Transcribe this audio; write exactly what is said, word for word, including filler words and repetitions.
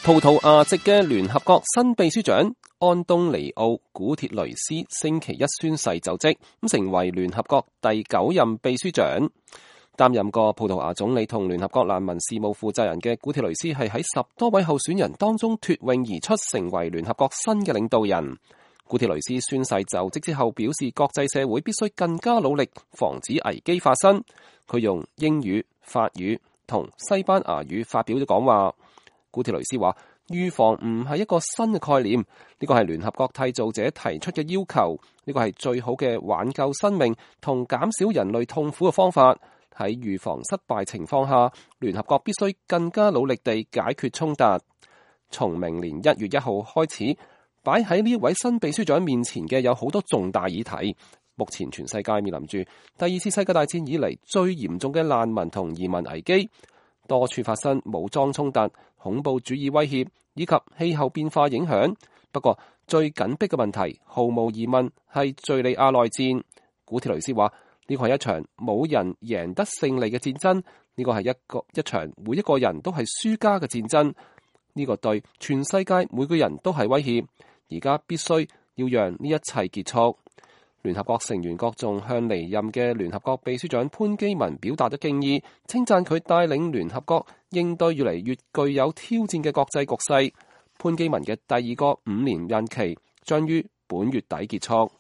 葡萄牙籍嘅聯合國新秘書長安東尼奧·古鐵雷斯星期一宣誓就職，咁成為聯合國第九任秘書長。擔任過葡萄牙總理同聯合國難民事務負責人嘅古鐵雷斯係喺十多位候選人當中脫穎而出，成為聯合國新嘅領導人。古鐵雷斯宣誓就職之後表示，國際社會必須更加努力防止危機發生。佢用英語、法語同西班牙語發表咗講話。古鐵雷斯話：預防唔係一個新嘅概念，呢個係聯合國締造者提出嘅要求，呢個係最好嘅挽救生命同減少人類痛苦嘅方法。喺預防失敗情況下，聯合國必須更加努力地解決衝突。從明年一月一號開始，擺喺呢位新秘書長面前嘅有好多重大議題。目前全世界面臨住第二次世界大戰以嚟最嚴重嘅難民同移民危機，多處發生武裝衝突、恐怖主義威脅以及氣候變化影響。不過最緊迫嘅問題，毫無疑問係敘利亞內戰。古鐵雷斯話：呢個係一場冇人贏得勝利嘅戰爭，呢個係一個一場每一個人都係輸家嘅戰爭。呢個對全世界每個人都係威脅。而家必須要讓呢一切結束。聯合國成員國仲向離任嘅聯合國秘書長潘基文表達咗敬意，稱讚佢帶領聯合國應對越嚟越具有挑戰嘅國際局勢。潘基文嘅第二個五年任期將於本月底結束。